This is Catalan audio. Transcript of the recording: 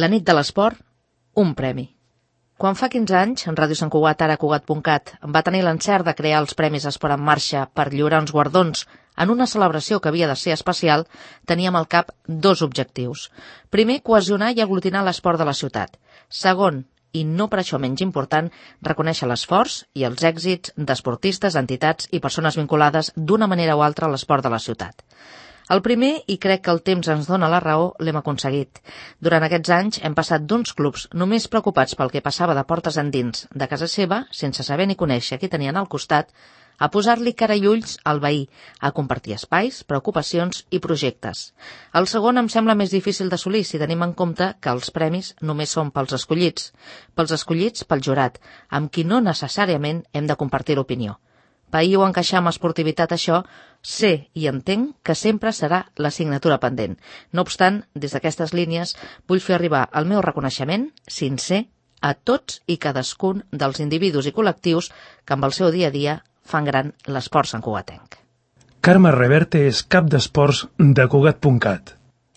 La nit de l'esport, un premi. Quan fa 15 anys, en Ràdio Sant Cugat, ara Cugat.cat, va tenir l'encert de crear els Premis Esport en Marxa per lliurar uns guardons en una celebració que havia de ser especial, teníem al cap dos objectius. Primer, cohesionar i aglutinar l'esport de la ciutat. Segon, i no per això menys important, reconèixer l'esforç i els èxits d'esportistes, entitats i persones vinculades d'una manera o altra a l'esport de la ciutat. El primer, i crec que el temps ens dona la raó, l'hem aconseguit. Durant aquests anys hem passat d'uns clubs només preocupats pel que passava de portes endins de casa seva, sense saber ni conèixer qui tenien al costat, a posar-li cara i ulls al veí, a compartir espais, preocupacions i projectes. El segon em sembla més difícil d'assolir si tenim en compte que els premis només són pels escollits pel jurat, amb qui no necessàriament hem de compartir l'opinió. Pair o encaixar amb esportivitat això, sé i entenc que sempre serà l'assignatura pendent. No obstant, des d'aquestes línies vull fer arribar el meu reconeixement sincer a tots i cadascun dels individus i col·lectius que amb el seu dia a dia fan gran l'esport santcugatenc. Carme Reverte és cap d'esports de Cugat.cat.